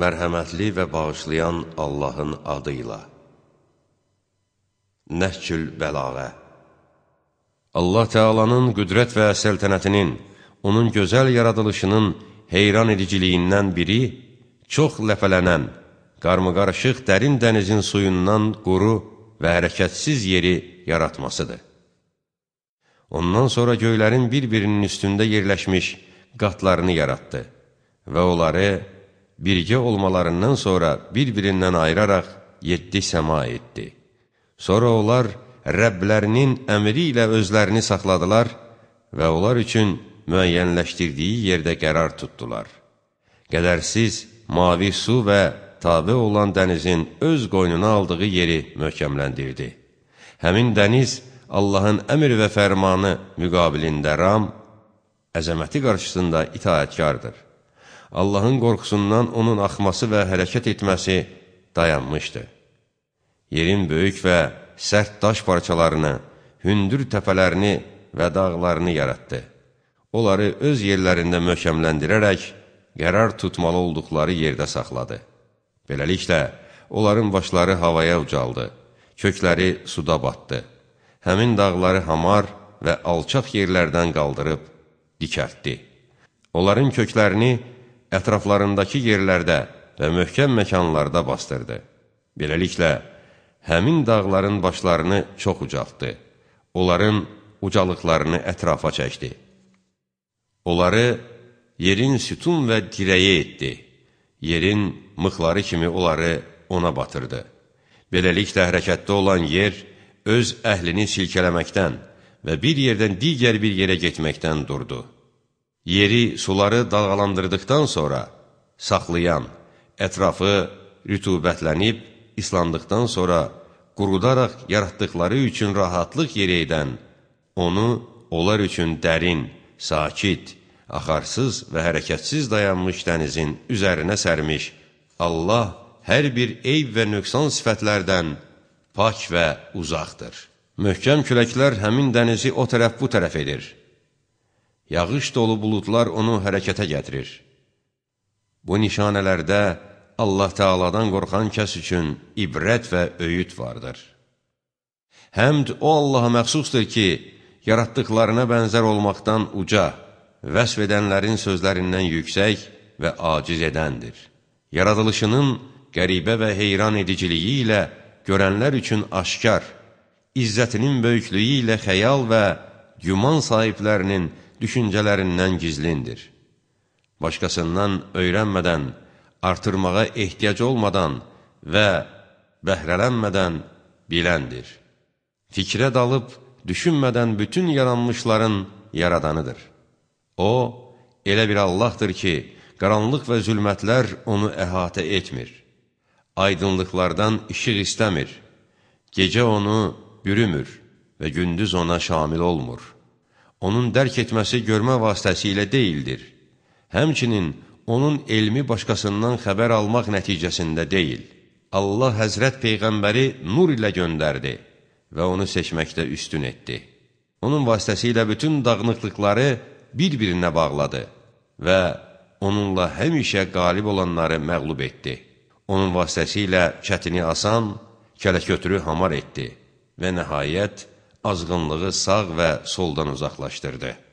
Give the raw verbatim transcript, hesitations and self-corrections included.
Mərhəmətli və bağışlayan Allahın adıyla. Nəhcül Bəlağə. Allah Teala'nın qüdrət və səltənətinin, onun gözəl yaradılışının heyran ediciliyindən biri, çox ləpələnən, qarmıqarışıq dərin dənizin suyundan quru və hərəkətsiz yeri yaratmasıdır. Ondan sonra göylərin bir-birinin üstündə yerləşmiş qatlarını yaratdı və onları birgə olmalarından sonra bir-birindən ayıraraq yeddi səma etdi. Sonra onlar Rəblərinin əmri ilə özlərini saxladılar və onlar üçün müəyyənləşdirdiyi yerdə qərar tutdular. Qədərsiz, mavi su və tabe olan dənizin öz qoynuna aldığı yeri möhkəmləndirdi. Həmin dəniz Allahın əmr və fərmanı müqabilində ram, əzəməti qarşısında itaətkardır. Allahın qorxusundan onun axması və hərəkət etməsi dayanmışdı. Yerin böyük və sərt daş parçalarını, hündür təpələrini və dağlarını yaratdı. Onları öz yerlərində möhkəmləndirərək, qərar tutmalı olduqları yerdə saxladı. Beləliklə, onların başları havaya ucaldı, kökləri suda batdı. Həmin dağları hamar və alçaq yerlərdən qaldırıb dikəltdi. Onların köklərini ətraflarındakı yerlərdə və möhkəm məkanlarda bastırdı. Beləliklə, həmin dağların başlarını çox ucaltdı. Onların ucalıqlarını ətrafa çəkdi. Onları yerin sütun və dirəyi etdi. Yerin mıxları kimi onları ona batırdı. Beləliklə, hərəkətdə olan yer öz əhlini silkələməkdən və bir yerdən digər bir yerə getməkdən durdu. Yeri, suları dalğalandırdıqdan sonra saxlayan, ətrafı rütubətlənib, islandıqdan sonra qurudaraq yaratdıqları üçün rahatlıq yeri edən, onu onlar üçün dərin, sakit, axarsız və hərəkətsiz dayanmış dənizin üzərinə sərmiş, Allah hər bir eyb və nöqsan sifətlərdən pak və uzaqdır. Möhkəm küləklər həmin dənizi o tərəf bu tərəf edir. Yağış dolu buludlar onu hərəkətə gətirir. Bu nişanələrdə Allah Teala'dan qorxan kəs üçün ibrət və öyüd vardır. Həmd o Allaha məxsusdur ki, yaratdıqlarına bənzər olmaqdan uca, vəsf edənlərin sözlərindən yüksək və aciz edəndir. Yaradılışının qəribə və heyran ediciliyi ilə görənlər üçün aşkar, izzətinin böyüklüyü ilə xəyal və güman sahiblərinin düşüncələrindən gizlindir. Başqasından öyrənmədən, artırmağa ehtiyac olmadan və bəhrələnmədən biləndir. Fikrə dalıb, düşünmədən bütün yaranmışların yaradanıdır. O, elə bir Allahdır ki, qaranlıq və zülmətlər onu əhatə etmir. Aydınlıqlardan işıq istəmir. Gecə onu bürümür və gündüz ona şamil olmur. Onun dərk etməsi görmə vasitəsilə deyildir. Həmçinin onun elmi başqasından xəbər almaq nəticəsində deyil. Allah Həzrət Peyğəmbəri nur ilə göndərdi və onu seçməkdə üstün etdi. Onun vasitəsilə bütün dağınıqlıqları bir-birinə bağladı və onunla həmişə qalib olanları məğlub etdi. Onun vasitəsilə çətini asan, kələkötürü hamar etdi və nəhayət azğınlığı sağ və soldan uzaqlaşdırdı.